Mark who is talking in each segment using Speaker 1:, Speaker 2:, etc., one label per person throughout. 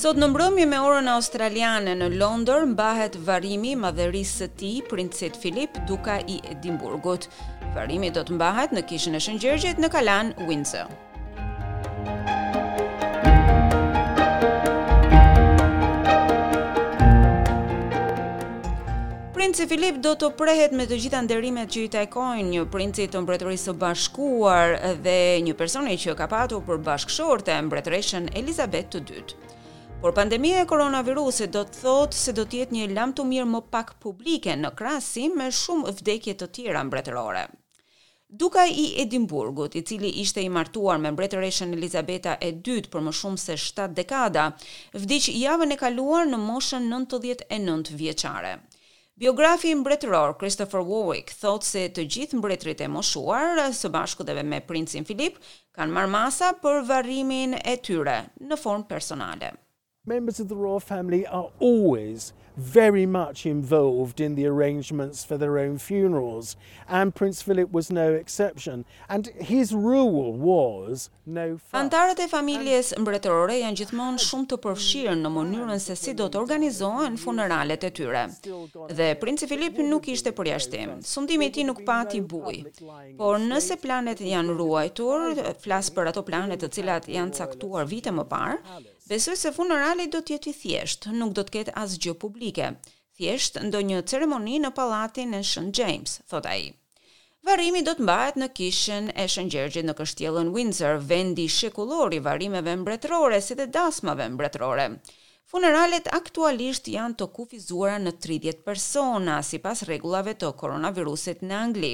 Speaker 1: Sot në mbrëmje me orën australiane në Londër mbahet varrimi i madhërisë së tij, princit Filip, duka i Edinburgut. Varrimi do të mbahet në kishën e Shën Gjergjit në kalanë Windsor. Princi Filip do të prehet me të gjitha nderimet që i takojnë një princi të Mbretërisë së Bashkuar dhe një personi që ka patur për bashkëshorte mbretëreshën Elizabeth të II. Por pandemia e koronavirusit do të thotë se do të jetë një lamtumirë më pak publike në krahasim me shumë vdekje të tjera mbretërore. Duka i Edinburgut, i cili ishte i martuar me mbretëreshën Elizabeta e II për më shumë se shtatë dekada, vdiq javën e kaluar në moshën 99 vjeçare. Biografi mbretëror Christopher Warwick thotë se të gjithë mbretërit e moshuar, së bashku dhe me princin Philip, kanë marrë masa për varrimin e tyre në formë personale.
Speaker 2: Members of the royal family are always very much involved in the arrangements for their own funerals, and Prince Philip was no exception. And his rule was no fuss.
Speaker 1: Anëtarët e familjes mbretërore janë gjithmonë shumë të përfshirë në mënyrën se si do të organizohen funeralet e tyre. Dhe Princi Philip nuk ishte përjashtim. Sundimi i tij nuk pati bujë. Por nëse planet janë ruajtur, flas për ato plane të cilat janë caktuar vite më parë, Besoj se funerali do të jetë i thjeshtë, nuk do të ketë asgjë publike, thjesht ndonjë ceremoni në pallatin e Shën James, thotë ai. Varrimi do të mbahet në kishën e Shën Gjergjit në kështjellën Windsor, vendi shekullor i varrimeve mbretërore si dhe dasmave mbretërore. Funeralet aktualisht janë të kufizuara në 30 persona, sipas rregullave të koronavirusit në Angli.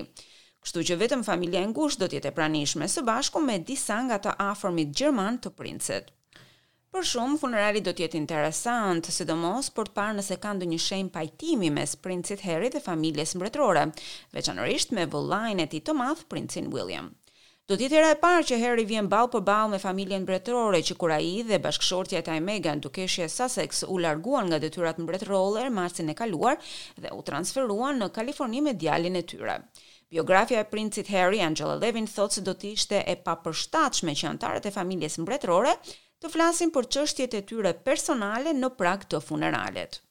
Speaker 1: Kështu që vetëm familja e ngushtë do të jetë e pranishme, së bashku me disa nga të afërmit gjermanë të princit. Për shumë, funerali do të jetë interesant, sidomos për të parë nëse ka ndonjë shenjë pajtimi mes princit Harry dhe familjes mbretërore, veçanërisht me vëllain e tij të madh, princin William. Do të jetë hera e parë që Harry vjen ballë për ballë me familjen mbretërore që kur ai dhe bashkëshortja e tij Meghan, dukeshja e Sussex, u larguan nga detyrat mbretërore marsin e kaluar dhe u transferuan në Kaliforni me djalin e tyre. Biografja e princit Harry, Angela Levin, thotë se do të ishte e papërshtatshme që anëtarët e familjes mbretërore të flasin për çështjet e tyre personale në prag të funeralit.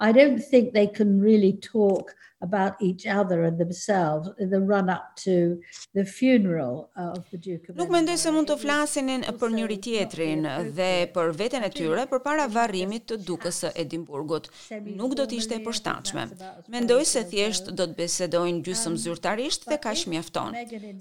Speaker 3: I don't think they can really talk about each other and themselves in the run up to the funeral of the Duke of
Speaker 1: Nuk mendoj se mund të flasin për njëri tjetrin dhe për veten e tyre përpara varrimit të dukës së Edinburgut. Nuk do të ishte e përshtatshme. Mendoj se thjesht do të bisedojnë gjysmë zyrtarisht dhe kaq mjafton.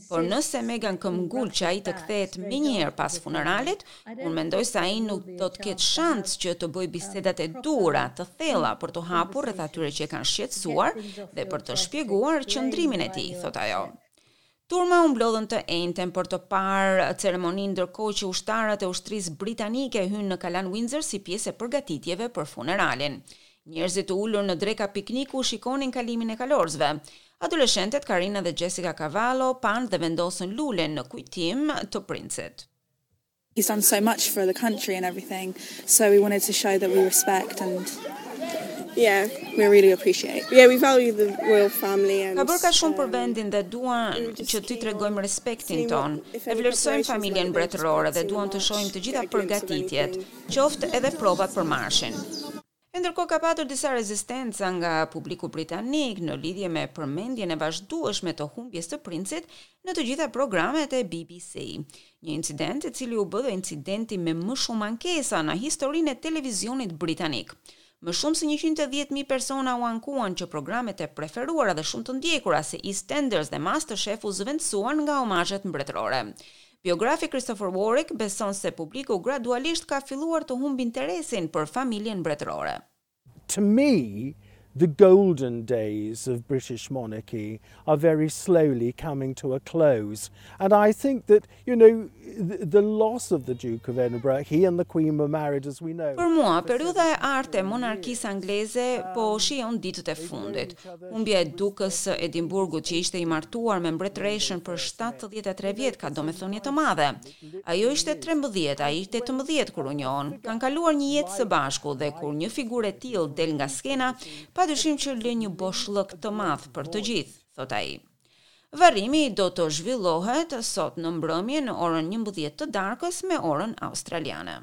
Speaker 1: Por nëse Meghan këmbgul që ai të kthehet menjëherë pas funeralit, unë mendoj se ai nuk do të ketë shans që të bëjë bisedat e duhura, të thella për t'u hapur rreth atyre që e kanë shqetësuar dhe për të shpjeguar qëndrimin e tij, thotë ajo. Turma u mblodhën të enjten për të parë ceremoninë ndërkohë që ushtarët e ushtrisë britanike hynë në kalanë Windsor si pjesë e përgatitjeve për funeralin. Njerëzit të ulur në dreka pikniku shikonin kalimin e kalorësve. Adoleshentet Karina dhe Jessica Cavallo panë dhe vendosën lule në kujtim të princit.
Speaker 4: He's done so much for the country and everything, so we wanted to show that we respect and
Speaker 5: yeah,
Speaker 4: we really appreciate.
Speaker 5: Yeah, we value the royal family and
Speaker 1: Ka bërë kaq shumë për vendin dhe duan që t'i tregojmë respektin tonë. E vlerësojmë familjen mbretërore dhe duam të shohim të gjitha përgatitjet, qoftë edhe provat për marshin. E ndërkohë ka patur disa rezistenca nga publiku britanik në lidhje me përmendjen e vazhdueshme të humbjes të princit në të gjitha programet e BBC. Një incident i cili u bë dhe incidenti me më shumë ankesa në historinë e televizionit britanik. Më shumë se 110.000 persona u ankuan që programet e preferuara dhe shumë të ndjekura si EastEnders dhe MasterChef u zëvendësuan nga omazhet mbretërore. Biografi Christopher Warwick beson se publiku gradualisht ka filluar të humb interesin për familjen mbretërore.
Speaker 2: To me, the golden days of British monarchy are very slowly coming to a close. And I think that, you know, the, the loss of the Duke of Edinburgh, he and the Queen were married, as we know.
Speaker 1: Për mua, periudha e artë e monarkisë angleze po shijon ditët e fundit. Humbja e dukës së Edinburgut që ishte i martuar me mbretëreshën për 73 vjet ka domethënie të madhe. Ajo ishte 13, ai 18 kur u njohën. Kanë kaluar një jetë së bashku dhe kur një figurë e tillë del nga skena, padyshim që lë një boshllëk të madh për të gjithë, thot ai. Varrimi do të zhvillohet sot në mbrëmje në orën 11 të darkës me orën australiane.